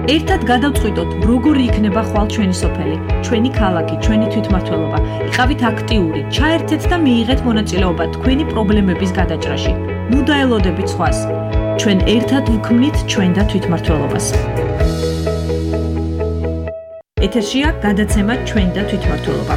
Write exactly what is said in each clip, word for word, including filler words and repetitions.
ერთად გადავწყვიტოთ, როგორი იქნება ხვალ ჩვენი სოფელი, ჩვენი ქალაქი, ჩვენი თვითმმართველობა. იყავით აქტიური, ჩაერთეთ და მიიღეთ მონაწილეობა თქვენი პრობლემების გადაჭრაში. ნუ დაელოდებით სხვას. ჩვენ ერთად ვქმნით ჩვენ და თვითმმართველობას. ეთერშია გადაცემა ჩვენ და თვითმმართველობა.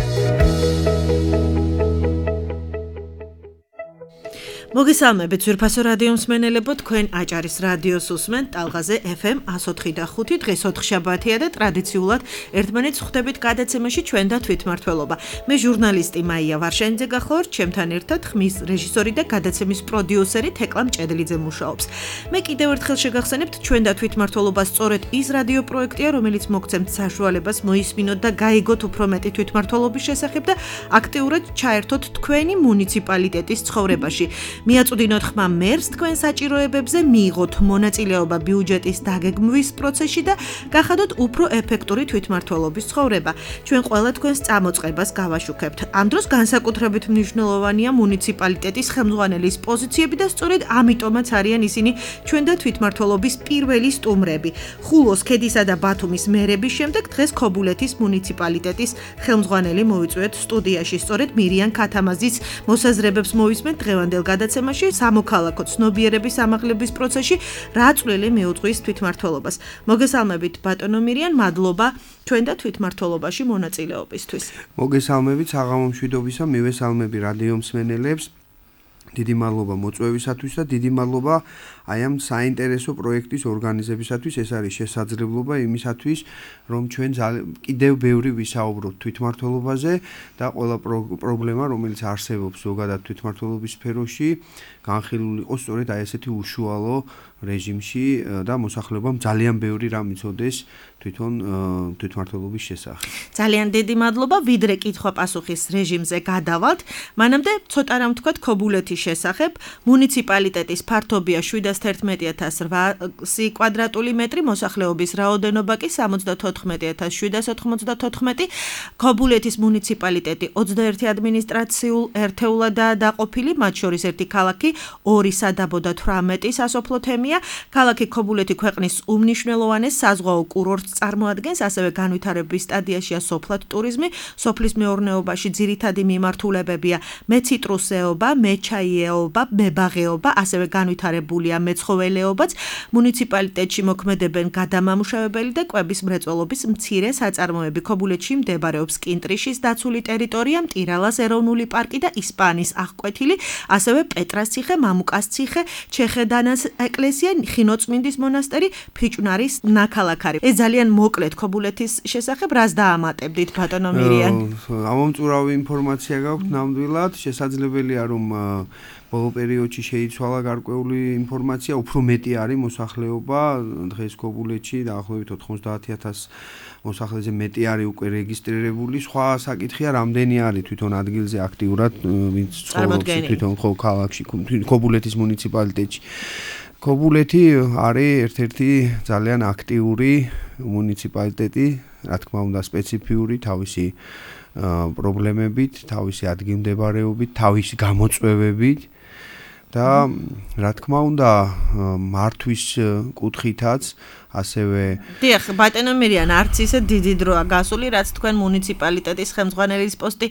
მოგესალმებით ძვირფასო რადიო მსმენელებო, თქვენ აჭარის რადიოს უსმენთ ტალღაზე ეფ ემ εκατო ოთხი და ხუთი. დღეს ოთხშაბათია და ტრადიციულად ერთმანეთს ხვდებით გადაცემაში ჩვენ და თვითმმართველობა. მე ჟურნალისტი მაია ვარშენიძე გახლავართ, ჩემთან ერთად ხმის რეჟისორი და გადაცემის პროდიუსერი თეკლა მჭედლიძე მუშაობს. მე კიდევ ერთხელ შეგახსენებთ, ჩვენ და თვითმმართველობა სწორედ ის რადიო პროექტია, რომელიც მოგცემთ საშუალებას მოისმინოთ და გაიგოთ უფრო მეტი თვითმმართველობის შესახებ და აქტიურად ჩაერთოთ თქვენი მუნიციპალიტეტის ცხოვრებაში. მიაწვდინოთ ხმა მერს თქვენ საჭიროებებზე, მიიღოთ მონაწილეობა ბიუჯეტის დაგეგმვის პროცესში და გახადოთ უფრო ეფექტური თვითმმართველობის ცხოვრება. ჩვენ ყველა თქვენს წამოწყებას გავაშუქებთ. ამ დროს განსაკუთრებით მნიშვნელოვანია მუნიციპალიტეტის ხელმძღვანელის პოზიციები და სწორედ ამიტომაც არიან ისინი ჩვენ და თვითმმართველობის პირველი სტუმრები. ხულოს, ქედისა და ბათუმის მერების შემდეგ დღეს ქობულეთის მუნიციპალიტეტის ხელმძღვანელი მოვიწვიეთ სტუდიაში. სწორედ მირიან ქათამაძის მოსაზრებებს მოვისმენთ დღევანდელ გადაცემაში სამოქალაქო ცნობიერების ამაღლების პროცესში რა წვლილი მიუძღვის თვითმმართველობას. მოგესალმებით ბატონო მირიან, მადლობა ჩვენ და თვითმმართველობაში მონაწილეობისთვის. მოგესალმებით საღამო მშვიდობისა, მივესალმები რადიო მსმენელებს. დიდი მადლობა მოწვევისათვის და დიდი მადლობა აი ამ საინტერესო პროექტის ორგანიზებისათვის. ეს არის შესაძლებლობა იმისათვის, რომ ჩვენ კიდევ ბევრი ვისაუბროთ თვითმმართველობაზე და ყველა პრობლემა, რომელიც არსებობს ზოგადად თვითმმართველობის სფეროში, განხილული იყოს სწორედ აი ესეთი უშუალო რეჟიმში და მოსახლეობამ ძალიან ბევრი რამ იცოდეს თვითონ თვითმმართველობის შესახებ. ძალიან დიდი მადლობა, ვიდრე კითხვა-პასუხის რეჟიმზე გადავალთ, მანამდე ცოტა რამ ვთქვათ ქობულეთის შესახებ. მუნიციპალიტეტის ფართობია შვიდას თერთმეტი ათას რვასი კვადრატული მეტრი, მოსახლეობის რაოდენობა კი სამოცდათოთხმეტი ათას შვიდას ოთხმოცდათოთხმეტი. ქობულეთის მუნიციპალიტეტი ოცდაერთი ადმინისტრაციულ ერთეულადაა დაყოფილი, მათ შორის ერთი ქალაქი, ორი სადაბო და თვრამეტი სასოფლო თემია. ქალაქი ქობულეთი ქვეყნის უმნიშვნელოვანეს საზღვაო კურორტს წარმოადგენს, ასევე განვითარების სტადიაშია სოფლად ტურიზმი, სოფლის მეურნეობაში ძირითადი მიმართულებებია მეციტრუსეობა, მეჩაიეობა, მებაღეობა, ასევე განვითარებულია მეცხოველეობაც. მუნიციპალიტეტში მოქმედებენ გადამამუშავებელი და კვების მრეწველობის მცირე საწარმოები. ქობულეთში მდებარეობს კინტრიშის დაცული ტერიტორია, მტირალას ეროვნული პარკი და ისპანის აღკვეთილი, ასევე პეტრას ციხე, მამუკას ციხე, ჩეხედანას ეკლესია, ხინოწმინდის მონასტერი, ფიჭვნარის ნაქალაქარი. ეს ძალიან მოკლედ ქობულეთის შესახებ რას დაამატებდით ბატონო მირიან? ამომწურავი ინფორმაცია გაქვთ ნამდვილად, შესაძლებელია რომ ბოლო პერიოდში შეიცვალა გარკვეული ინფორმაცია, უფრო მეტი არის მოსახლეობა დღეს ქობულეთში, დაახლოებით ოთხმოცდაათი ათას მოსახლეზე მეტი არის უკვე რეგისტრირებული. სხვა საკითხია, რამდენი არის თვითონ ადგილზე აქტიურად ვინც ცხოვრობს თვითონ ქალაქში, ქობულეთის მუნიციპალიტეტში. ქობულეთი არის ერთ-ერთი ძალიან აქტიური მუნიციპალიტეტი, რა თქმა უნდა სპეციფიური თავისი პრობლემებით, თავისი ადგილმდებარეობით, თავისი გამოწვევებით და რა თქმა უნდა მართვის კუთხითაც ასევე დიახ, ბატონო მირიან, არც ისე დიდი დროა გასული, რაც თქვენ მუნიციპალიტეტის ხელმძღვანელის პოსტი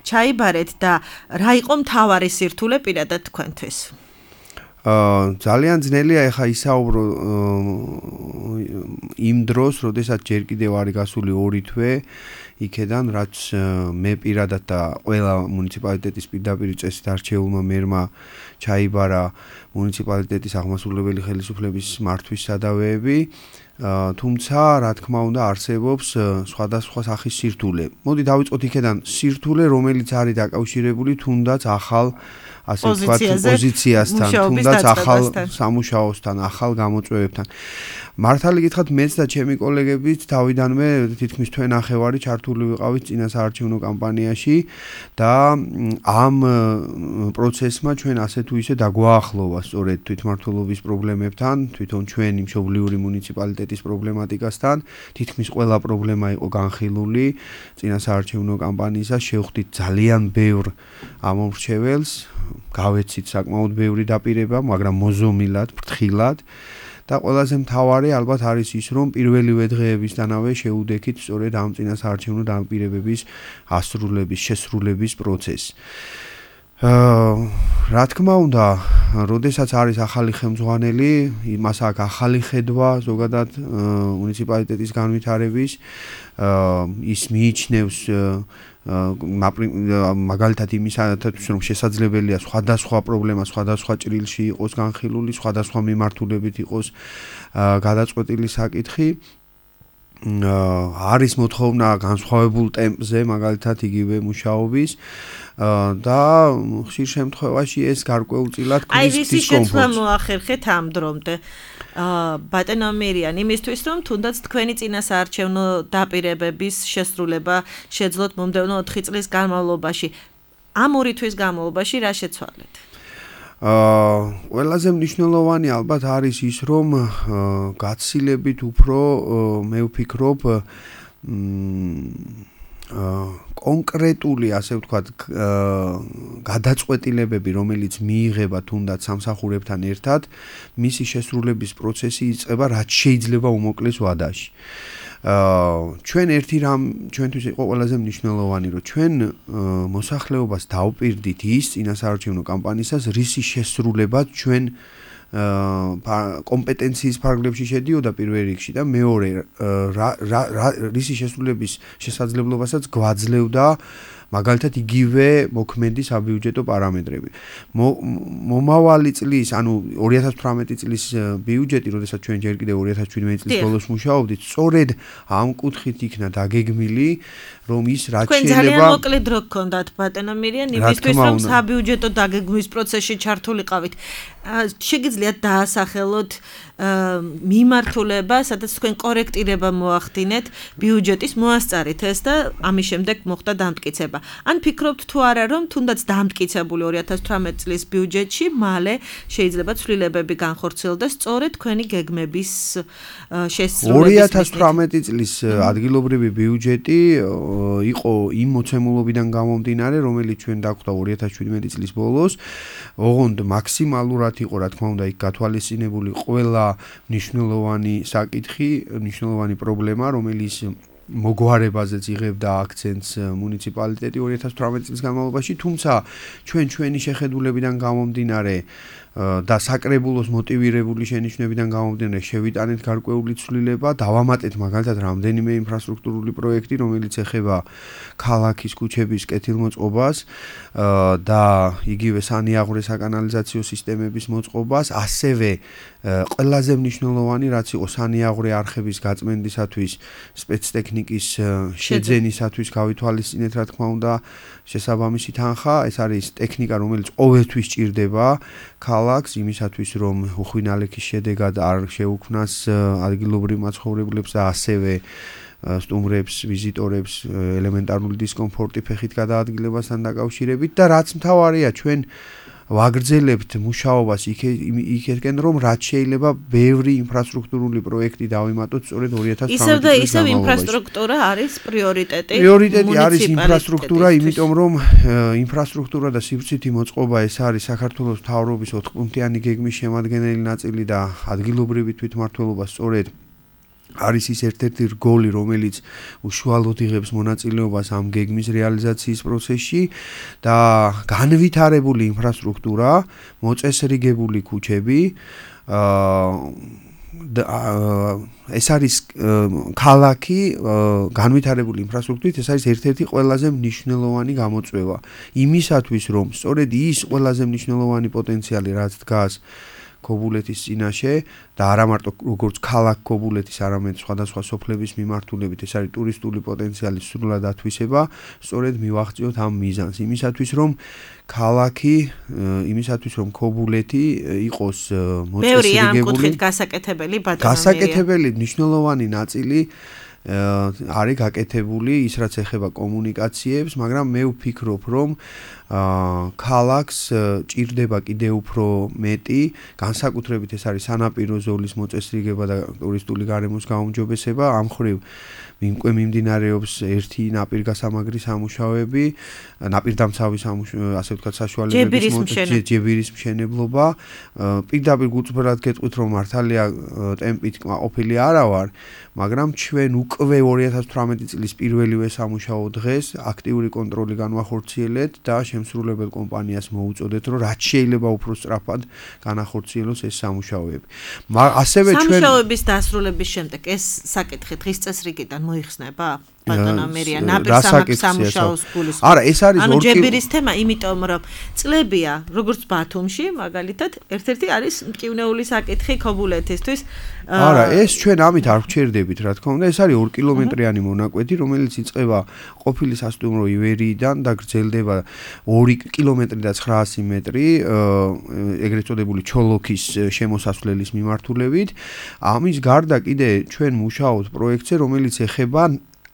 ჩაიბარეთ და რა იყო მთავარი სირთულე პირადად თქვენთვის? ძალიან ძნელია ეხა ისაუბრო იმ დროს, როდესაც ჯერ კიდევ არის გასული ორი თვე იქედან, რაც მე პირადად და ყველა მუნიციპალიტეტის პირდაპირ წესით არჩეულმა მერმა ჩაიბარა მუნიციპალიტეტის აღმასრულებელი ხელისუფლების მართვის სადავეები. თუმცა, რა თქმა უნდა, არსებობს სხვადასხვა სახის სირთულე. მოდი დავიწყოთ იქედან სირთულე, რომელიც არის დაკავშირებული თუნდაც ახალ ასე ვთქვათ პოზიციასთან, თუნდაც ახალ სამუშაოსთან, ახალ გამოწვევებთან. მართალი გითხრათ, მეც და ჩემი კოლეგებიც თავიდანვე თითქმის თვე ნახევარი ჩართული ვიყავით წინა საარჩევნო კამპანიაში და ამ პროცესმა ჩვენ ასე თუ ისე დაგვაახლოვა სწორედ თვითმმართველობის პრობლემებთან, თვითონ ჩვენი მშობლიური მუნიციპალიტეტის პრობლემატიკასთან. თითქმის ყველა პრობლემა იყო განხილული წინა საარჩევნო კამპანიისას, შევხვდით ძალიან ბევრ ამომრჩეველს, გავეცით საკმაოდ ბევრი დაპირება, მაგრამ მოზომილად, ფრთხილად და ყველაზე მთავარი ალბათ არის ის, რომ პირველივე დღეებისთანავე შეუდექით სწორედ ამ წინასაარჩევნო დამპირებების ასრულების, შესრულების პროცესს. რა თქმა უნდა, როდესაც არის ახალი ხელმძღვანელი, იმას აქვს ახალი ხედვა ზოგადად მუნიციპალიტეტის განვითარების, ის მიიჩნევს მაგალითად იმისათვის, რომ შესაძლებელია სხვადასხვა პრობლემა სხვადასხვა ჭრილში იყოს განხილული, სხვადასხვა მიმართულებით იყოს გადაწყვეტილი საკითხი. არის მოთხოვნა განსხვავებულ ტემპზე, მაგალითად იგივე მუშაობის და ხშირ შემთხვევაში ეს გარკვეულწილად ქმნის აი რისი შეცვლა დისკომფორტს. მოახერხეთ ამ დრომდე. ბატონო მირიან, იმისთვის რომ თუნდაც თქვენი წინასაარჩევნო დაპირებების შესრულება შეძლოთ მომდევნო ოთხი წლის განმავლობაში. ამ ორი თვის განმავლობაში რა შეცვალეთ? აა ყველაზე მნიშვნელოვანი ალბათ არის ის, რომ გაცილებით უფრო მე ვფიქრობ კონკრეტული, ასე ვთქვათ, გადაწყვეტილებები, რომელიც მიიღება თუნდაც სამსახურებთან ერთად, მისი შესრულების პროცესი იწყება რაც შეიძლება უმოკლეს ვადაში. ჩვენ ერთი რამ ჩვენთვის იყო ყველაზე მნიშვნელოვანი, რომ ჩვენ მოსახლეობას დავპირდით ის წინასაარჩევნო კამპანიისას, რისი შესრულებაც ჩვენ კომპეტენციის ფარგლებში შედიოდა პირველ რიგში და მეორე რისი შესრულების შესაძლებლობასაც გვაძლევდა მაგალითად იგივე მოქმედი საბიუჯეტო პარამეტრები. მომავალი წლის, ანუ ორი ათას თვრამეტი წლის ბიუჯეტი, როდესაც ჩვენ ჯერ კიდევ ორი ათას ჩვიდმეტი წლის ბოლოს მუშაობდით, სწორედ ამ კუთხით იქნა დაგეგმილი, რომ ის რაც შეიძლება თქვენ ძალიან მოკლე დრო გქონდათ ბატონო მირიან იმისთვის, რომ საბიუჯეტო დაგეგმვის პროცესში ჩართულიყავით. შეგიძლიათ დაასახელოთ მიმართულება, სადაც თქვენ კორექტირება მოახდინეთ ბიუჯეტის, მოასწარით ეს და ამის შემდეგ მოხდა დამტკიცება. ან ფიქრობთ თუ არა, რომ თუნდაც დამტკიცებული ორი ათას თვრამეტი წლის ბიუჯეტში მალე შეიძლება ცვლილებები განხორციელდეს სწორედ თქვენი გეგმების შესრულების. ორი ათას თვრამეტი წლის ადგილობრივი ბიუჯეტი იყო იმ მოცემულობიდან გამომდინარე, რომელიც ჩვენ დაგვხდა ორი ათას შვიდმეტი წლის ბოლოს, ოღონდ მაქსიმალურად იყო, რა თქმა უნდა, იქ გათვალისწინებული ყველა მნიშვნელოვანი საკითხი, მნიშვნელოვანი პრობლემა, რომელიც მოგვარებაზეც იღებდა აქცენტს მუნიციპალიტეტი ორი ათას თვრამეტი წლის განმავლობაში, თუმცა ჩვენ ჩვენი შეხედულებიდან გამომდინარე და საკრებულოს მოტივირებული შენიშვნებიდან გამომდინარე შევიტანეთ გარკვეული ცვლილება, დავამატეთ მაგალითად რამდენიმე ინფრასტრუქტურული პროექტი, რომელიც ეხება ქალაქის ქუჩების კეთილმოწყობას და იგივე სანიაღვრე საკანალიზაციო სისტემების მოწყობას, ასევე ყველაზე მნიშვნელოვანი რაც იყო სანიაღვრე არხების გაწმენდისათვის სპეცტექნიკის შეძენისათვის გავითვალისწინეთ, რა თქმა უნდა, შესაბამისი თანხა, ეს არის ტექნიკა, რომელიც ყოველთვის ჭირდება ქალაქს იმისათვის, რომ უხვინალექის შედეგად არ შეუქმნას ადგილობრივ მაცხოვრებლებს და ასევე სტუმრებს, ვიზიტორებს ელემენტარული დისკომფორტი ფეხით გადაადგილებასთან დაკავშირებით და რაც მთავარია, ჩვენ ვაგრძელებთ მუშაობას იქეთკენ, რომ რაც შეიძლება ბევრი ინფრასტრუქტურული პროექტი დავიმატოთ სწორედ ორი ათას თვრამეტი ისევ და ისევ ინფრასტრუქტურა არის პრიორიტეტი. პრიორიტეტი არის ინფრასტრუქტურა, იმიტომ რომ ინფრასტრუქტურა და სივრცითი მოწყობა ეს არის საქართველოს მთავრობის ოთხპუნქტიანი გეგმის შემადგენელი ნაწილი და ადგილობრივი თვითმმართველობა სწორედ არის ის ერთ-ერთი რგოლი, რომელიც უშუალოდ იღებს მონაწილეობას ამ გეგმის რეალიზაციის პროცესში და განვითარებული ინფრასტრუქტურა, მოწესრიგებული ქუჩები, ეს არის ქალაქი განვითარებული ინფრასტრუქტურით, ეს არის ერთ-ერთი ყველაზე მნიშვნელოვანი გამოწვევა. იმისათვის, რომ სწორედ ის ყველაზე მნიშვნელოვანი პოტენციალი, რაც დგას ქობულეთის წინაშე და არა მარტო როგორც ქალაქ ქობულეთის, არამედ სხვადასხვა სოფლების მიმართულებით, ეს არის ტურისტული პოტენციალის სრულად ათვისება, სწორედ მივახციოთ ამ მიზანს. იმისათვის, რომ ქალაქი, იმისათვის, რომ ქობულეთი იყოს მოწესრიგებული. ბევრი ამ კუთხით გასაკეთებელი ბატონო. გასაკეთებელი მნიშვნელოვანი ნაწილი არის გაკეთებული ის რაც ეხება კომუნიკაციებს, მაგრამ მე ვფიქრობ, რომ ქალაქს ჭირდება კიდევ უფრო მეტი, განსაკუთრებით ეს არის სანაპირო ზოლის მოწესრიგება და ტურისტული გარემოს გაუმჯობესება, ამ მხრივ უკვე მიმდინარეობს ერთი ნაპირგასამაგრი სამუშაოები, ნაპირდამცავი ასე ვთქვათ საშუალებების ჯებირის მშენებლობა. პირდაპირ გულწრფელად გეტყვით, რომ მართალია ტემპით ყოფილი არა ვარ, მაგრამ ჩვენ უკვე ორი ათას თვრამეტი წლის პირველივე სამუშაო დღეს აქტიური კონტროლი განვახორციელეთ და შემსრულებელ კომპანიას მოუწოდეთ, რომ რაც შეიძლება უფრო სწრაფად განახორციელოს ეს სამუშაოები. ასევე ჩვენ სამუშაოების დასრულების შემდეგ ეს საკითხი დღის წესრიგიდან მოიხსნება? ბატონო მერია, ნაპირსამაგ სამუშაოს გულის. არა, ეს არის ანუ ჯებირის თემა, იმიტომ რომ წლებია, როგორც ბათუმში, მაგალითად, ერთ-ერთი არის მტკივნეული საკითხი ქობულეთისთვის. არა, ეს ჩვენ ამით არ ვჩერდებით, რა თქმა უნდა, ეს არის ორი კილომეტრიანი მონაკვეთი, რომელიც იწყება ყოფილი სასტუმრო ივერიიდან და გრძელდება ორი კილომეტრი და ცხრაასი მეტრი, ეგრეთ წოდებული ჩოლოქის შემოსასვლელის მიმართულებით. ამის გარდა კიდე ჩვენ მუშაობთ პროექტზე, რომელიც ეხება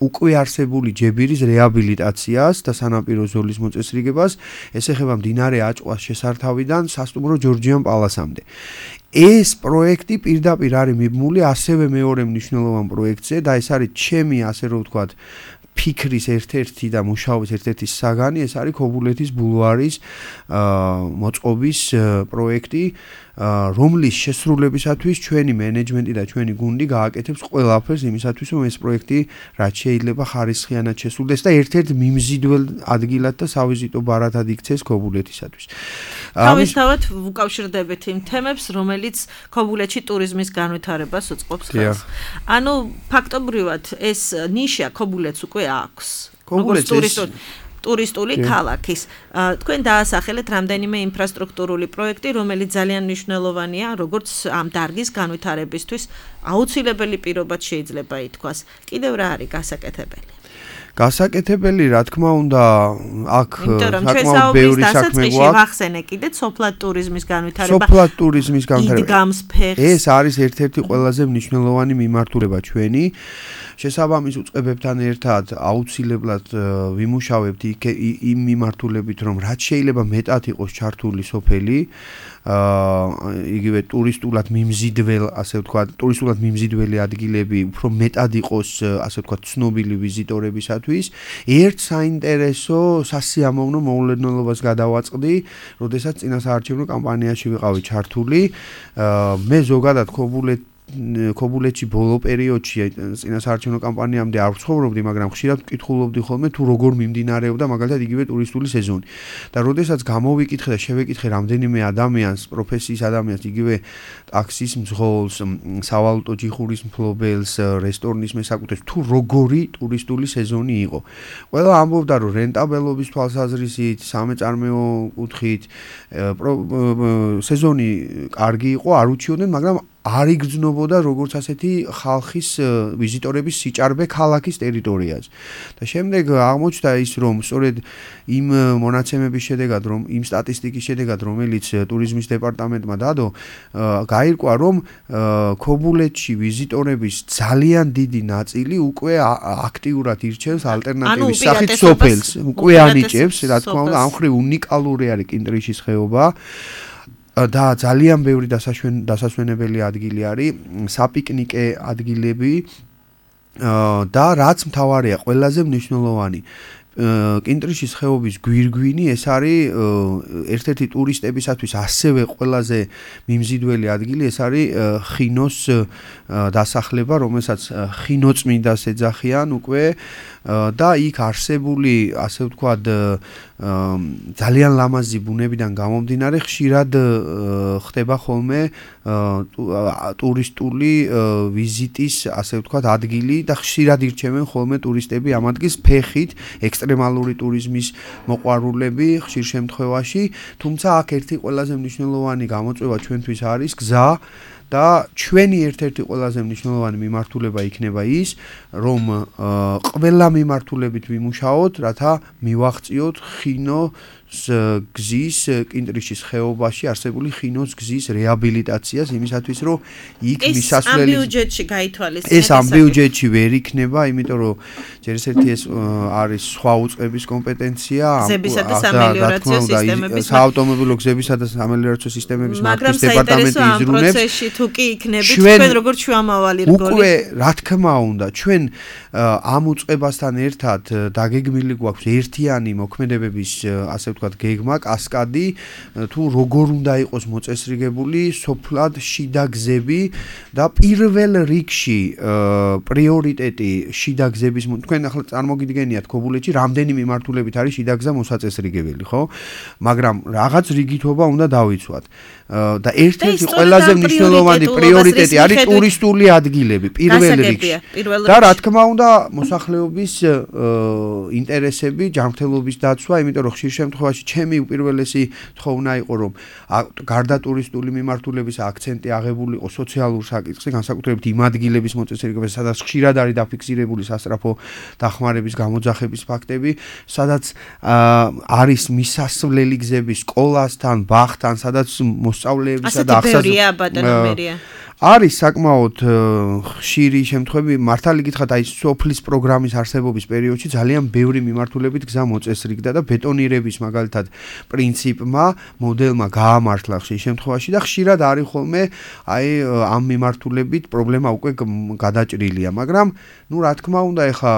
უკვე არსებული ჯებირის რეაბილიტაციას და სანაპირო ზოლის მოწესრიგებას, ეს ეხება მდინარე აჭყვას შესართავიდან სასტუმრო ჯორჯიან პალასამდე. ეს პროექტი პირდაპირ არის მიბმული ასევე მეორე მნიშვნელოვან პროექტზე და ეს არის ჩემი, ასე რომ ვთქვათ, ფიქრის ერთ-ერთი და მუშაობის ერთ-ერთი საგანი, ეს არის ქობულეთის ბულვარის მოწყობის პროექტი, რომლის შესრულებისათვის ჩვენი მენეჯმენტი და ჩვენი გუნდი გააკეთებს ყველაფერს იმისათვის, რომ ეს პროექტი რაც შეიძლება ხარისხიანად შესრულდეს და ერთ-ერთ მიმზიდველ ადგილად და სავიზიტო ბარათად იქცეს ქობულეთისათვის. თავისთავად უკავშირდებით იმ თემებს, რომელიც ქობულეთში ტურიზმის განვითარებას უწყობს ხელს. ანუ ფაქტობრივად ეს ნიშა ქობულეთს უკვე აქვს. ქობულეთს ტურისტული ქალაქის. თქვენ დაასახელეთ რამდენიმე ინფრასტრუქტურული პროექტი, რომელიც ძალიან მნიშვნელოვანია, როგორც ამ დარგის განვითარებისთვის აუცილებელი პირობად შეიძლება ითქვას. კიდევ რა არის გასაკეთებელი? გასაკეთებელი, რა თქმა უნდა, აქ საკმაოდ ბევრი საქმე გვაქვს. ვახსენე კიდე სოფლად ტურიზმის განვითარება. სოფლად ტურიზმის განვითარება. იდგამს ფეხს. ეს არის ერთ-ერთი ყველაზე მნიშვნელოვანი მიმართულება ჩვენი. შესაბამის უწყებებთან ერთად აუცილებლად ვიმუშავებთ იმ მიმართულებით, რომ რაც შეიძლება მეტად იყოს ჩართული სოფელი, იგივე ტურისტულად მიმზიდველ, ასე ვთქვათ, ტურისტულად მიმზიდველი ადგილები უფრო მეტად იყოს, ასე ვთქვათ, ცნობილი ვიზიტორებისათვის. ერთ საინტერესო სასიამოვნო მოულოდნელობას გადავაწყდი, როდესაც წინასაარჩევნო კამპანიაში ვიყავი ჩართული. მე ზოგადად ქობულეთ ქობულეთში ბოლო პერიოდში წინასაარჩევნო კამპანიამდე არ ვცხოვრობდი, მაგრამ ხშირად ვკითხულობდი ხოლმე თუ როგორ მიმდინარეობდა მაგალითად იგივე ტურისტული სეზონი. და როდესაც გამოვიკითხე და შევეკითხე რამდენიმე ადამიანს, პროფესიის ადამიანს, იგივე ტაქსის მძღოლს, სავალუტო ჯიხურის მფლობელს, რესტორნის მესაკუთრებს, თუ როგორი ტურისტული სეზონი იყო. ყველა ამბობდა, რომ რენტაბელობის თვალსაზრისით, სამეწარმეო კუთხით სეზონი კარგი იყო, არ უჩიოდნენ, მაგრამ არ იგრძნობოდა როგორც ასეთი ხალხის ვიზიტორების სიჭარბე ქალაქის ტერიტორიაზე. და შემდეგ აღმოჩნდა ის, რომ სწორედ იმ მონაცემების შედეგად, რომ იმ სტატისტიკის შედეგად, რომელიც ტურიზმის დეპარტამენტმა დადო, გაირკვა, რომ ქობულეთში ვიზიტორების ძალიან დიდი ნაწილი უკვე აქტიურად ირჩევს ალტერნატივის სახით სოფელს, უკვე ანიჭებს, რა თქმა უნდა, ამ მხრივ უნიკალური არის კინტრიშის ხეობა. და ძალიან ბევრი დასასვენებელი ადგილი არის, საპიკნიკე ადგილები და რაც მთავარია, ყველაზე მნიშვნელოვანი კინტრიშის ხეობის გვირგვინი, ეს არის ერთ-ერთი ტურისტებისათვის ასევე ყველაზე მიმზიდველი ადგილი, ეს არის ხინოს დასახლება, რომელსაც ხინოწმინდას ეძახიან უკვე და იქ არსებული, ასე ვთქვათ, ძალიან ლამაზი ბუნებიდან გამომდინარე, ხშირად ხდება ხოლმე ტურისტული ვიზიტის, ასე ვთქვათ, ადგილი და ხშირად ირჩევენ ხოლმე ტურისტები ამ ადგილს ფეხით, ექსტრემალური ტურიზმის მოყვარულები ხშირ შემთხვევაში, თუმცა აქ ერთი ყველაზე მნიშვნელოვანი გამოწვევა ჩვენთვის არის გზა და ჩვენი ერთ-ერთი ყველაზე მნიშვნელოვანი მიმართულება იქნება ის, რომ ყველა მიმართულებით ვიმუშაოთ, რათა მივაღწიოთ ხინო გზის კინტრიშის ხეობაში არსებული ხინოს გზის რეაბილიტაციას იმისათვის რომ იქ მისასვლელი ამ ბიუჯეტში გაითვალისწინეთ ეს ამ ბიუჯეტში ვერ იქნება იმიტომ რომ ჯერ ერთი ეს არის სხვა უწყების კომპეტენცია გზებისა და სამელიორაციო სისტემების საავტომობილო გზებისა და სამელიორაციო სისტემების მართვის დეპარტამენტი იზრუნებს ამ პროცესში თუ კი იქნებით თქვენ როგორც შუამავალი რგოლი უკვე რა თქმა უნდა ჩვენ ამ უწყებასთან ერთად დაგეგმილი გვაქვს ერთიანი მოქმედებების ასე ვთქვათ გეგმა კასკადი თუ როგორ უნდა იყოს მოწესრიგებული სოფლად შიდა გზები და პირველ რიგში პრიორიტეტი შიდა გზების თქვენ ახლა წარმოგიდგენიათ ქობულეთში რამდენი მიმართულებით არის შიდა გზა მოსაწესრიგებელი ხო მაგრამ რაღაც რიგითობა უნდა დავიცვათ და ერთ-ერთი ყველაზე მნიშვნელოვანი პრიორიტეტი არის ტურისტული ადგილები პირველ რიგში და რა თქმა უნდა მოსახლეობის ინტერესები ჯანმრთელობის დაცვა იმიტომ რომ ხშირ შემთხვევაში ჩემი უპირველესი თხოვნა იყო რომ გარდა ტურისტული მიმართულების აქცენტი აღებული იყო სოციალურ საკითხზე განსაკუთრებით იმ ადგილების მოწესრიგებაზე სადაც ხშირად არის დაფიქსირებული სასწრაფო დახმარების გამოძახების ფაქტები სადაც არის მისასვლელი გზები სკოლასთან ბაღთან სადაც მოსწავლეებისა და ახსაზრდელია არის საკმაოდ ხშირი შემთხვევები მართალი გითხრათ აი სოფლის პროგრამის არსებობის პერიოდში ძალიან ბევრი მიმართულებით გზა მოწესრიგდა და ბეტონირების მაგალითად პრინციპმა მოდელმა გაამართლა ხშირ შემთხვევაში და ხშირად არის ხოლმე აი ამ მიმართულებით პრობლემა უკვე გადაჭრილია მაგრამ ნუ რა თქმა უნდა ეხა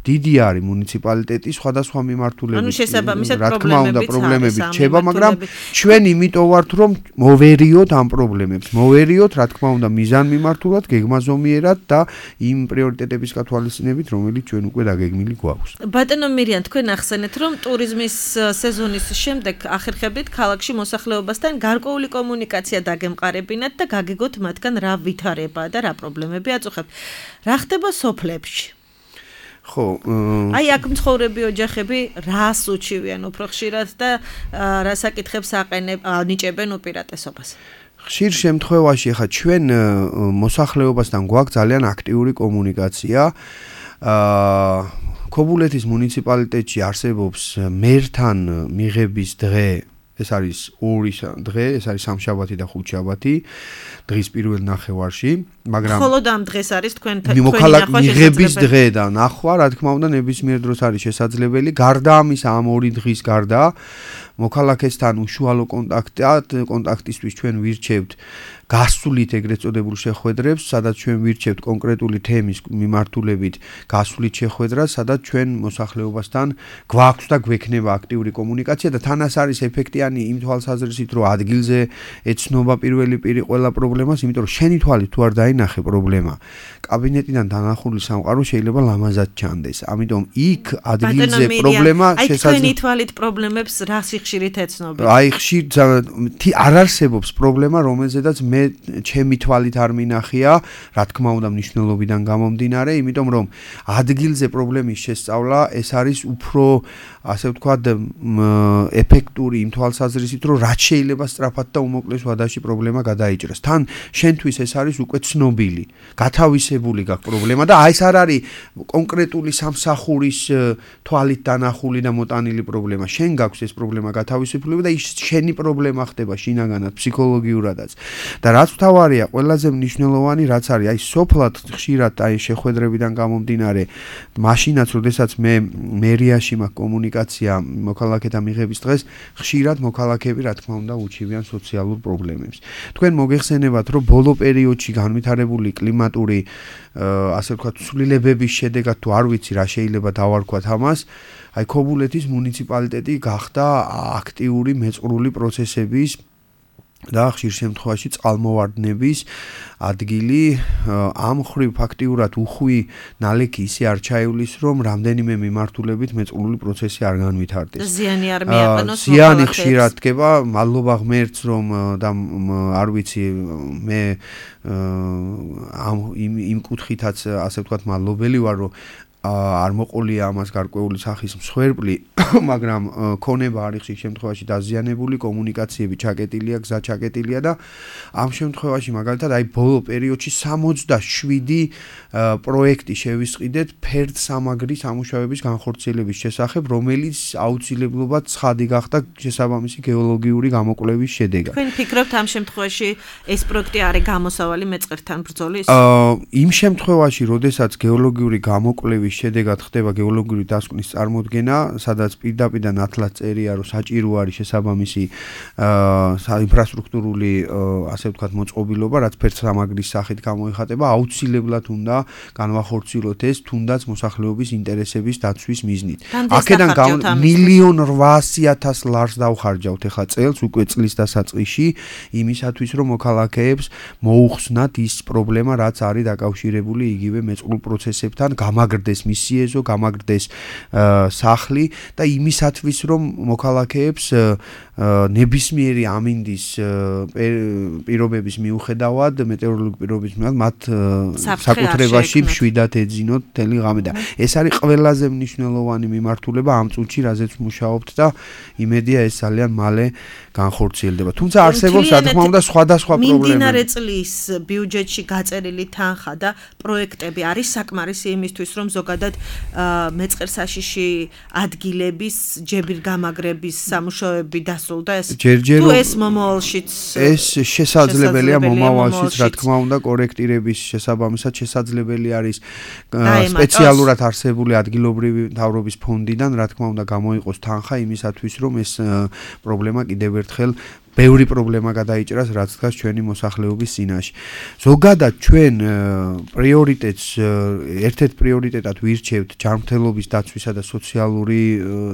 დიდი არის მუნიციპალიტეტი სხვადასხვა მიმართულებით ანუ შესაბამისად რა თქმა უნდა პრობლემები რჩება მაგრამ ჩვენ იმიტომ ვართ რომ მოვერიოთ ამ პრობლემებს მოვერიოთ რა თქმა უნდა მიზანმიმართულად გეგმაზომიერად და იმ პრიორიტეტების გათვალისწინებით რომელიც ჩვენ უკვე დაგეგმილი გვაქვს ბატონო მირიან თქვენ ახსენეთ რომ ტურიზმის სეზონის შემდეგ ახერხებით ქალაქში მოსახლეობასთან გარკვეული კომუნიკაცია დაგემყარებინათ და გაგეგოთ მათგან რა ვითარებაა და რა პრობლემები აწუხებთ რა ხდება სოფლებში ხო აი აქ მცხოვრები ოჯახები რას უჩივიან უფრო ხშირად და რა საკითხებს აყენებენ უპირატესობას ხშირ შემთხვევაში ხა ჩვენ მოსახლეობასთან გვაქვს ძალიან აქტიური კომუნიკაცია აა ქობულეთის მუნიციპალიტეტში არსებობს მერთან მიღების დღე ეს არის ორი დღე, ეს არის სამშაბათი და ხუთშაბათი, დღის პირველ ნახევარში, მაგრამ მხოლოდ ამ დღეს არის თქვენ თქვენი ნახვა მიღების დღე და ნახვა, რა თქმა უნდა, ნებისმიერ დროს არის შესაძლებელი. გარდა ამისა, ამ ორი დღის გარდა მოქალაქესთან უშუალო კონტაქტად, კონტაქტისთვის ჩვენ ვირჩევთ გასულით ეგრეთ წოდებულ შეხვედრებს, სადაც ჩვენ ვირჩევთ კონკრეტული თემის მიმართულებით გასულით შეხვედრას, სადაც ჩვენ მოსახლეობასთან გვაქვს და გვექნება აქტიური კომუნიკაცია და თანაც არის ეფექტიანი იმ თვალსაზრისით, რომ ადგილზე ეცნობა პირველი პირი ყველა პრობლემას, იმიტომ რომ შენი თვალით თუ არ დაინახე პრობლემა, კაბინეტიდან დანახული სამყარო შეიძლება ლამაზად ჩანდეს. ამიტომ იქ ადგილზე პრობლემა შესაძლოა. აი თქვენი თვალით პრობლემებს რა სიხშირით ეცნობთ? აი ხშირ არ არსებობს პრობლემა, რომელზედაც მე ჩემი თვალით არ მინახია, რა თქმა უნდა მნიშვნელობიდან გამომდინარე, იმიტომ რომ ადგილზე პრობლემის შესწავლა ეს არის უფრო ასე ვთქვათ ეფექტური იმ თვალსაზრისით, რომ რაც შეიძლება სწრაფად და უმოკლეს ვადაში პრობლემა გადაიჭრას. თან შენთვის ეს არის უკვე ცნობილი, გათავისებული გაქვს პრობლემა და აი ეს არ არის კონკრეტული სამსახურის თვალით დანახული და მოტანილი პრობლემა. შენ გაქვს ეს პრობლემა გათავისებული და ის შენი პრობლემა ხდება შინაგანად, ფსიქოლოგიურადაც. და რაც მთავარია, ყველაზე მნიშვნელოვანი რაც არის, აი სოფლად ხშირად აი შეხვედრებიდან გამომდინარე, მაშინაც როდესაც მე მერიაში მაქვს კომუნიკაცია მოქალაქეთა მიღების დღეს, ხშირად მოქალაქეები რა თქმა უნდა უჩივიან სოციალურ პრობლემებს. თქვენ მოგეხსენებათ, რომ ბოლო პერიოდში განვითარებული კლიმატური ასე ვთქვათ ცვლილებების შედეგად თუ არ ვიცი რა შეიძლება დავარქვათ ამას, აი ქობულეთის მუნიციპალიტეტი გახდა აქტიური მეწყრული პროცესების და ხშირ შემთხვევაში წყალმოვარდნების ადგილი ამ ხრივ ფაქტიურად უხვი ნალექი ისე არ ჩაივლის, რომ რამდენიმე მიმართულებით მეწყრული პროცესი არ განვითარდეს. ზიანი არ მიაყენოს ზიანი ხშირად დგება, მადლობა ღმერთს, რომ და არ ვიცი მე ამ იმ იმ კუთხითაც ასე ვთქვათ მადლობელი ვარ, რომ არ მოყოლია ამას გარკვეული სახის მსხვერპლი, მაგრამ ქონება არის ხშირ შემთხვევაში დაზიანებული, კომუნიკაციები ჩაკეტილია, გზა ჩაკეტილია და ამ შემთხვევაში მაგალითად აი ბოლო პერიოდში სამოცდაშვიდი პროექტი შევისყიდეთ ფერდსამაგრის ამუშავების განხორციელების შესახებ, რომელიც აუცილებლობად ცხადი გახდა შესაბამისი გეოლოგიური გამოკვლევის შედეგად. თქვენ ფიქრობთ ამ შემთხვევაში ეს პროექტი არის გამოსავალი მეწყერთან ბრძოლის? იმ შემთხვევაში, როდესაც გეოლოგიური გამოკვლევის შედეგად ხდება გეოლოგიური დასკვნის წარმოდგენა, სადაც პირდაპირ ნათლად წერია, რომ საჭირო არის შესაბამისი ინფრასტრუქტურული, ასე ვთქვათ, მოწყობილობა, რაც ფერდსამაგრის სახით გამოიხატება, აუცილებლად უნდა განვახორციელოთ ეს, თუნდაც მოსახლეობის ინტერესების დაცვის მიზნით. აქედან მილიონ რვაასი ათას ლარს დავხარჯავთ ახლა წელს, უკვე წლის დასაწყისში, იმისათვის, რომ მოქალაქეებს მოუხსნათ ის პრობლემა, რაც არის დაკავშირებული იგივე მეწყრულ პროცესებთან, გამაგრდეს მისი ეზო, გამაგრდეს სახლი და იმისათვის, რომ მოქალაქეებს ნებისმიერი ამინდის პირობების მიუხედავად, მეტეოროლოგიური პირობების მიუხედავად, მათ საკუთრებაში მშვიდად ეძინოთ მთელი ღამე და ეს არის ყველაზე მნიშვნელოვანი მიმართულება ამ წუთში, რაზეც მუშაობთ და იმედია ეს ძალიან მალე განხორციელდება. თუმცა არსებობს, რა თქმა უნდა, სხვადასხვა პრობლემები. მიმდინარე წლის ბიუჯეტში გაწერილი თანხა და პროექტები არის საკმარისი იმისთვის, რომ ზოგადად მეწყერსაშიში ადგილების ჯებირგამაგრების სამუშაოები დასრულდა ეს. თუ ეს მომავალშიც ეს შესაძლებელია მომავალშიც, რა თქმა უნდა, კორექტირების შესაბამისად შესაძლებელი არის სპეციალურად არსებული ადგილობრივი მთავრობის ფონდიდან, რა თქმა უნდა, გამოიყოს თანხა იმისათვის, რომ ეს პრობლემა კიდევ ერთხელ ბევრი პრობლემა გადაიჭრას, რაც დგას ჩვენი მოსახლეობის წინაშე. ზოგადად ჩვენ პრიორიტეტს, ერთ-ერთ პრიორიტეტად ვირჩევთ ჯანმრთელობის დაცვისა და სოციალური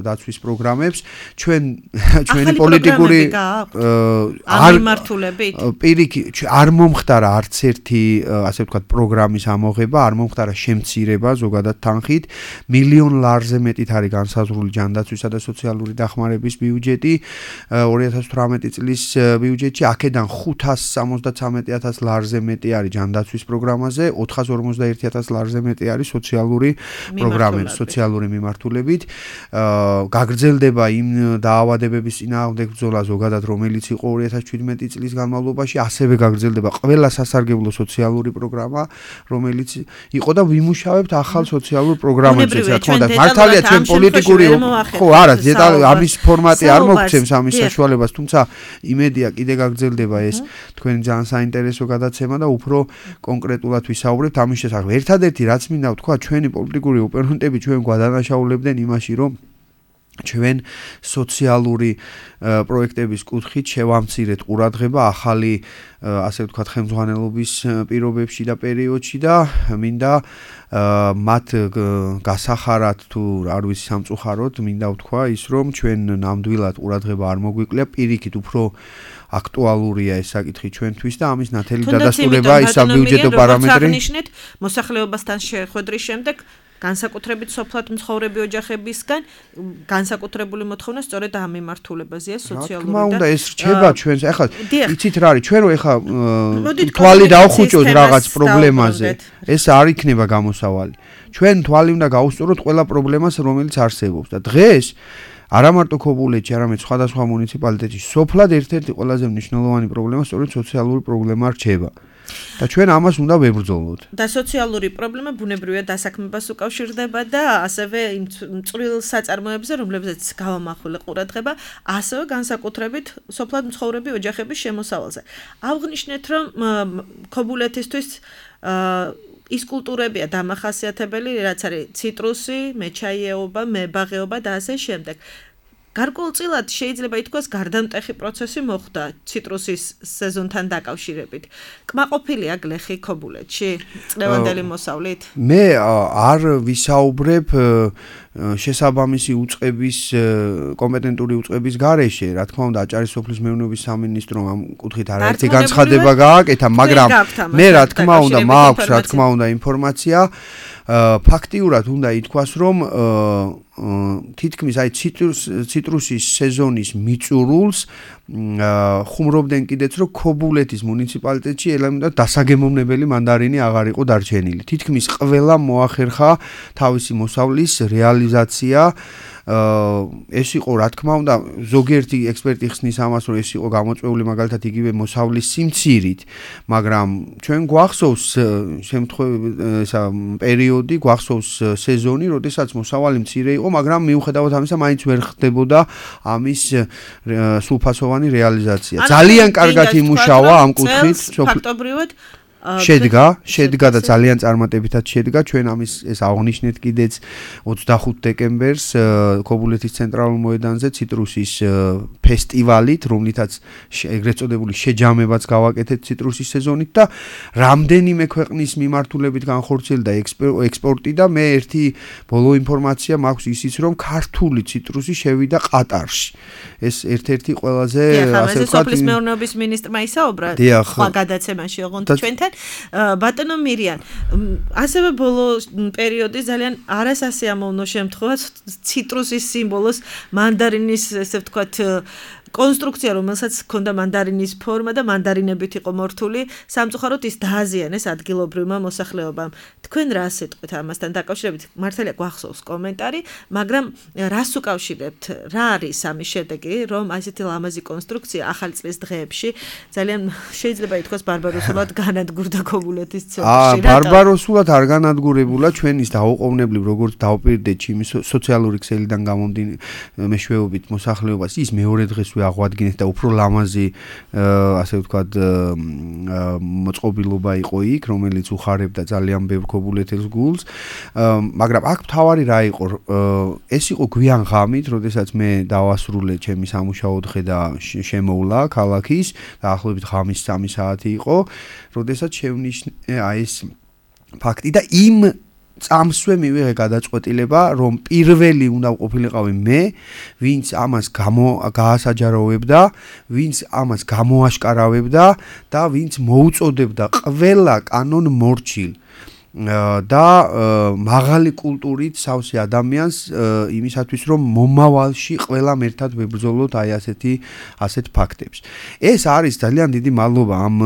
დაცვის პროგრამებს. ჩვენ ჩვენი პოლიტიკური არ მიმართულებით პირიქით არ მომხდარა არც ერთი, ასე ვთქვათ, პროგრამის ამოღება, არ მომხდარა შემცირება ზოგადად თანხით. მილიონ ლარზე მეტით არის განსაზღვრული ჯანდაცვისა და სოციალური დახმარების ბიუჯეტი ორი ათას თვრამეტი წლის ბიუჯეტში, აქედან ხუთას სამოცდათვრამეტი ათას ლარზე მეტი არის ჯანდაცვის პროგრამაზე, ოთხას ორმოცდაერთი ათას ლარზე მეტი არის სოციალური პროგრამები, სოციალური მიმართულებით. გაგრძელდება იმ დაავადებების წინააღმდეგ ბრძოლა ზოგადად, რომელიც იყო ორი ათას შვიდმეტი წლის განმავლობაში, ასევე გაგრძელდება ყველა სასარგებლო სოციალური პროგრამა, რომელიც იყო და ვიმუშავებთ ახალ სოციალურ პროგრამებზე, რა თქმა უნდა. მართალია ჩვენ პოლიტიკური ხო არა, ამის ფორმატი არ მოგცემს ამის საშუალებას, თუმცა იმედია კიდე გაგრძელდება ეს თქვენი ძალიან საინტერესო გადაცემა და უფრო კონკრეტულად ვისაუბრებთ ამის შესახებ. ერთადერთი რაც მინდა ვთქვა, ჩვენი პოლიტიკური ოპონენტები ჩვენ გვადანაშაულებდნენ იმაში, რომ ჩვენ სოციალური პროექტების კუთხით შევამცირეთ ყურადღება ახალი, ასე ვთქვათ, ხელმძღვანელობის პირობებში და პერიოდში და მინდა მათ გასახარად თუ არ ვიცი სამწუხაროდ მინდა ვთქვა ის, რომ ჩვენ ნამდვილად ყურადღება არ მოგვიკლია, პირიქით უფრო აქტუალურია ეს საკითხი ჩვენთვის და ამის ნათელი დადასტურება ის საბიუჯეტო პარამეტრი. აღნიშნეთ მოსახლეობასთან შეხვედრის შემდეგ განსაკუთრებით სოფლად მცხოვრები ოჯახებისგან განსაკუთრებული მოთხოვნა სწორედ ამ მიმართულებაზეა სოციალური და რა თქმა უნდა ეს რჩება ჩვენს. ახლა იცით რა არის, ჩვენ რო ახლა თვალი დავხუჭოთ რაღაც პრობლემაზე, ეს არ იქნება გამოსავალი. ჩვენ თვალი უნდა გაუსწოროთ ყველა პრობლემას, რომელიც არსებობს და დღეს არა მარტო ქობულეთში, არამედ სხვადასხვა მუნიციპალიტეტში სოფლად ერთ-ერთი ყველაზე მნიშვნელოვანი პრობლემა სწორედ სოციალური პრობლემა რჩება. და ჩვენ ამას უნდა ვებრძოლოთ. და სოციალური პრობლემა ბუნებრივია დასაქმებას უკავშირდება და ასევე იმ წვრილ საწარმოებზე, რომლებზეც გავამახვილე ყურადღება, ასევე განსაკუთრებით სოფლად მცხოვრები ოჯახების შემოსავალზე. აღნიშნეთ, რომ ქობულეთისთვის ის კულტურებია დამახასიათებელი, რაც არის ციტრუსი, მეჩაიეობა, მებაღეობა და ასე შემდეგ. გარკვეულწილად შეიძლება ითქვას გარდამტეხი პროცესი მოხდა ციტრუსის სეზონთან დაკავშირებით. კმაყოფილია გლეხი ქობულეთში წლევანდელი მოსავლით? მე არ ვისაუბრებ შესაბამისი უწყების კომპეტენტური უწყების გარეშე, რა თქმა უნდა, აჭარის სოფლის მეურნეობის სამინისტრომ ამ კუთხით არაერთი განცხადება გააკეთა, მაგრამ მე რა თქმა უნდა, მაქვს რა თქმა უნდა ინფორმაცია ფაქტიურად უნდა ითქვას, რომ თითქმის აი ციტრუსის სეზონის მიწურულს ხუმრობდნენ კიდეც, რომ ქობულეთის მუნიციპალიტეტში ელემენტად დასაგემოვნებელი მანდარინი აღარ იყო დარჩენილი. თითქმის ყველა მოახერხა თავისი მოსავლის რეალიზაცია. ეს იყო რა თქმა უნდა ზოგიერთი ექსპერტი ხსნის ამას, რომ ეს იყო გამოწვეული მაგალითად იგივე მოსავლის სიმცირით, მაგრამ ჩვენ გვახსოვს შემთხვევები ესა პერიოდი, გვახსოვს სეზონი, როდესაც მოსავალი მცირე იყო, მაგრამ მიუხედავად ამისა მაინც ვერ ხდებოდა ამის სრულფასოვანი რეალიზაცია. ძალიან კარგად იმუშავა ამ კუთხით ფაქტობრივად შედგა, შედგა და ძალიან წარმატებითაც შედგა. ჩვენ ამის ეს აღნიშნეთ კიდეც ოცდახუთ დეკემბერს ქობულეთის ცენტრალურ მოედანზე ციტრუსის ფესტივალით, რომლითაც ეგრეთ წოდებული შეჯამებაც გავაკეთეთ ციტრუსის სეზონით და რამდენიმე ქვეყნის მიმართულებით განხორციელდა ექსპორტი და მე ერთი ბოლო ინფორმაცია მაქვს ისიც, რომ ქართული ციტრუსი შევიდა ყატარში. ეს ერთ-ერთი ყველაზე ასე ვთქვათ, სოფლის მეურნეობის მინისტრმა ისაუბრა სხვა გადაცემაში ოღონდ ჩვენთან ბატონო მირიან, ასევე ბოლო პერიოდი ძალიან არასასიამოვნო შემთხვევა ციტრუსის სიმბოლოს მანდარინის ესე ვთქვათ კონსტრუქცია, რომელსაც ჰქონდა მანდარინის ფორმა და მანდარინებით იყო მორთული, სამწუხაროდ ის დააზიანეს ადგილობრივმა მოსახლეობამ. თქვენ რას ეტყვით ამასთან დაკავშირებით? მართალია გვახსოვს კომენტარი, მაგრამ რას უკავშირებთ? რა არის ამის შედეგი, რომ ასეთი ლამაზი კონსტრუქცია ახალი წლის დღეებში ძალიან შეიძლება ითქვას ბარბაროსულად განადგურდა ქობულეთის ცენტრში? აა, ბარბაროსულად არ განადგურებულა, ჩვენ ის დაუყოვნებლივ როგორც დავპირდეთ ჩემი სოციალური ქსელიდან გამომდინარე მეშვეობით მოსახლეობას, ის მეორე დღეს აღვადგინეთ და უფრო ლამაზი ასე ვთქვათ მოწყობილობა იყო იქ, რომელიც უხარებდა ძალიან ბევრ ქობულეთის გულს, მაგრამ აქ მთავარი რა იყო, ეს იყო გვიან ღამით, როდესაც მე დავასრულე ჩემი სამუშაო დღე და შემოვლა ქალაქის, დაახლოებით ღამის სამი საათი იყო, როდესაც შევნიშნე აი ეს ფაქტი და იმ წამსვე მივიღე გადაწყვეტილება, რომ პირველი უნდა ყოფილიყავი მე, ვინც ამას გაასაჯაროვებდა, ვინც ამას გამოაშკარავებდა და ვინც მოუწოდებდა ყველა კანონ მორჩილ და მაღალი კულტურით სავსე ადამიანს იმისათვის, რომ მომავალში ყველამ ერთად ვებრძოლოთ აი ასეთი ასეთ ფაქტებს. ეს არის ძალიან დიდი მადლობა ამ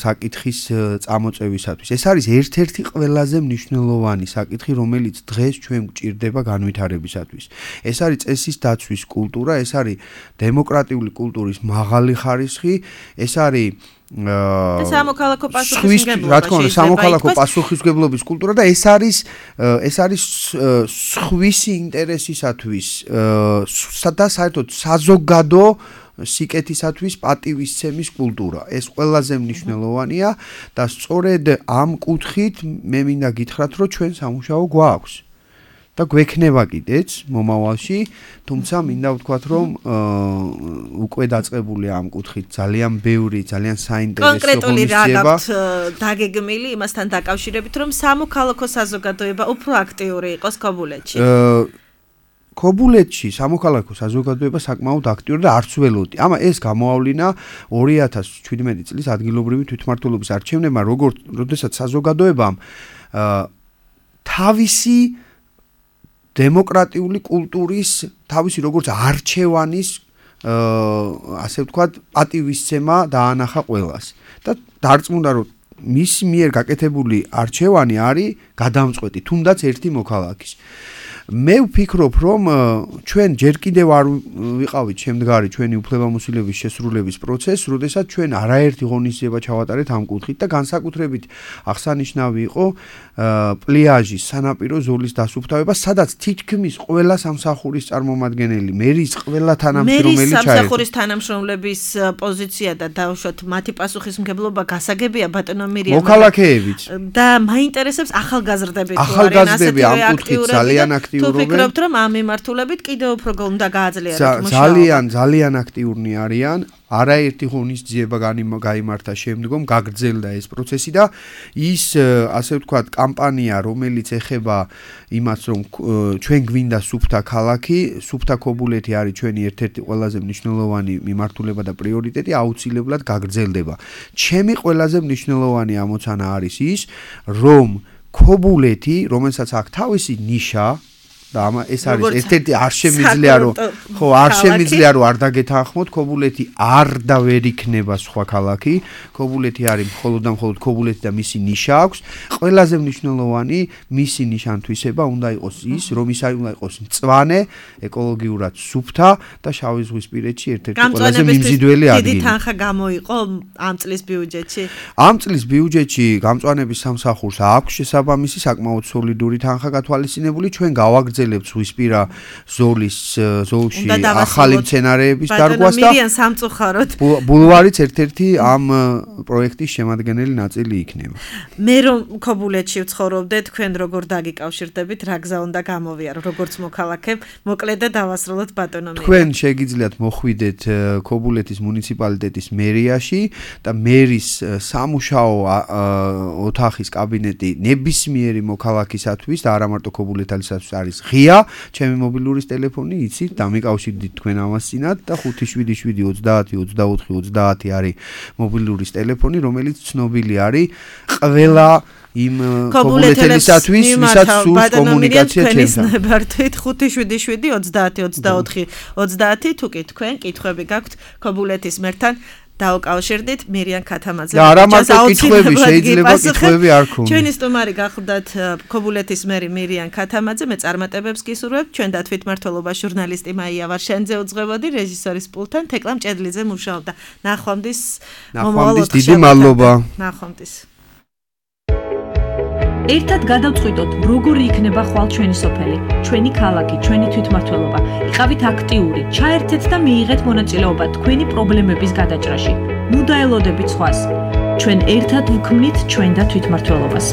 საკითხის წამოწევისათვის. ეს არის ერთ-ერთი ყველაზე მნიშვნელოვანი საკითხი, რომელიც დღეს ჩვენ გვჭირდება განვითარებისათვის. ეს არის წესის დაცვის კულტურა, ეს არის დემოკრატიული კულტურის მაღალი ხარისხი, ეს არის და სამოქალაქო პასუხისმგებლობა, რა თქმა უნდა, სამოქალაქო პასუხისმგებლობის კულტურა და ეს არის ეს არის სხვისი ინტერესისათვის და საერთოდ საზოგადო სიკეთისათვის პატივისცემის კულტურა. ეს ყველაზე მნიშვნელოვანია და სწორედ ამ კუთხით მე მინდა გითხრათ, რომ ჩვენ სამუშაო გვაქვს. და გვექნება კიდეც მომავალში, თუმცა მინდა ვთქვათ, რომ უკვე დაწყებული ამ კუთხით ძალიან ბევრი, ძალიან საინტერესო კონკრეტული რა გაქვთ დაგეგმილი იმასთან დაკავშირებით, რომ სამოქალაქო საზოგადოება უფრო აქტიური იყოს ქობულეთში? ქობულეთში სამოქალაქო საზოგადოება საკმაოდ აქტიური და არც ველოდი. ამა ეს გამოავლინა ორი ათას შვიდმეტი წლის ადგილობრივი თვითმმართველობის არჩევნებმა, როგორც როდესაც საზოგადოებამ თავისი დემოკრატიული კულტურის თავისი როგორც არჩევანის ასე ვთქვათ პატივისცემა დაანახა ყველას და დარწმუნდა, რომ მის მიერ გაკეთებული არჩევანი არის გადამწყვეტი თუნდაც ერთი მოქალაქის. მე ვფიქრობ, რომ ჩვენ ჯერ კიდევ არ ვიყავით შემდგარი ჩვენი უფლებამოსილების შესრულების პროცესს, როდესაც ჩვენ არაერთი ღონისძიება ჩავატარეთ ამ კუთხით და განსაკუთრებით აღსანიშნავი იყო პლიაჟის სანაპირო ზოლის დასუფთავება, სადაც თითქმის ყველა სამსახურის წარმომადგენელი, მერის ყველა თანამშრომელი ჩაერთო. მერის სამსახურის თანამშრომლების პოზიცია და დაუშვათ მათი პასუხისმგებლობა გასაგებია ბატონო მირიამ. მოქალაქეებით. და მაინტერესებს ახალგაზრდები თუ არიან ახალგაზრდები ამ კუთხით ძალიან აქტიურობენ. თუ ფიქრობთ, რომ ამ მიმართულებით კიდევ უფრო უნდა გააძლიეროთ მუშაობა? ძალიან, ძალიან აქტიურნი არიან. არაერთი ღონისძიება გაიმართა შემდგომ, გაგრძელდა ეს პროცესი და ის ასე ვთქვათ კამპანია, რომელიც ეხება იმას, რომ ჩვენ გვინდა სუფთა ქალაქი, სუფთა ქობულეთი არის ჩვენი ერთ-ერთი ყველაზე მნიშვნელოვანი მიმართულება და პრიორიტეტი, აუცილებლად გაგრძელდება. ჩემი ყველაზე მნიშვნელოვანი ამოცანა არის ის, რომ ქობულეთი, რომელსაც აქვს თავისი ნიშა და ამა ეს არის ერთ-ერთი არ შემიძლია რომ ხო არ შემიძლია რომ არ დაგეთანხმოთ ქობულეთი არ და ვერ იქნება სხვა ქალაქი ქობულეთი არის მხოლოდ და მხოლოდ ქობულეთი და მისი ნიშა აქვს ყველაზე მნიშვნელოვანი მისი ნიშანთვისება უნდა იყოს ის რომ ის უნდა იყოს მწვანე ეკოლოგიურად სუფთა და შავი ზღვისპირეთში ერთ-ერთი ყველაზე მიმზიდველი ადგილი დიდი თანხა გამოიყო ამ წლის ბიუჯეტში ამ წლის ბიუჯეტში გამწვანების სამსახურს აქვს შესაბამისი საკმაოდ სოლიდური თანხა გათვალისწინებული ჩვენ გავაგრძელებთ ზღვისპირა ზოლის ზოლში ახალი მცენარეების დარგვას და მირიან სამწუხაროდ ბულვარიც ერთ-ერთი ამ პროექტის შემადგენელი ნაწილი იქნება. მე რომ ქობულეთში ვცხოვრობდე, თქვენ როგორ დაგიკავშირდებით, რა გზა უნდა გამოვიარო, როგორც მოქალაქე, მოკლედ და დავასრულოთ ბატონო მერია. თქვენ შეგიძლიათ მოხვიდეთ ქობულეთის მუნიციპალიტეტის მერიაში და მერის სამუშაო ოთახის კაბინეტი ნებისმიერი მოქალაქისათვის და არა მარტო ქობულეთელისათვის არის ღია, ჩემი მობილურის ტელეფონი იცით, დამიკავშირდით თქვენ ამას წინათ და ხუთი შვიდი შვიდი ოცდაათი ოცდაოთხი ოცდაათი არის მობილურის ტელეფონი, რომელიც ცნობილი არის ყველა იმ ქობულეთელისათვის, ვისაც სურს კომუნიკაცია ჩემთან. ნებართვით ხუთი შვიდი შვიდი ოცდაათი ოცდაოთხი ოცდაათი თუ კი თქვენ კითხვები გაქვთ ქობულეთის მერთან დაუკავშირდით მირიან ქათამაძე. და არა მარტო კითხვები, შეიძლება კითხვები არ ქონდეს. ჩვენი სტუმარი გახლდათ ქობულეთის მერი მირიან ქათამაძე, მე წარმატებებს გისურვებ. ჩვენ და თვითმმართველობა ჟურნალისტი მაია ვარშენძე უძღვებოდი, რეჟისორის პულტთან თეკლამ ჭედლიძე მუშაობდა. ნახვამდის მომავალ ოთხ დიდი მადლობა. ნახვამდის. ერთად გადავწყვიტოთ, როგორი იქნება ხვალ ჩვენი სოფელი, ჩვენი ქალაქი, ჩვენი თვითმმართველობა. იყავით აქტიური, ჩაერთეთ და მიიღეთ მონაწილეობა თქვენი პრობლემების გადაჭრაში. ნუ დაელოდებით სხვას. ჩვენ ერთად ვქმნით ჩვენ და თვითმმართველობას.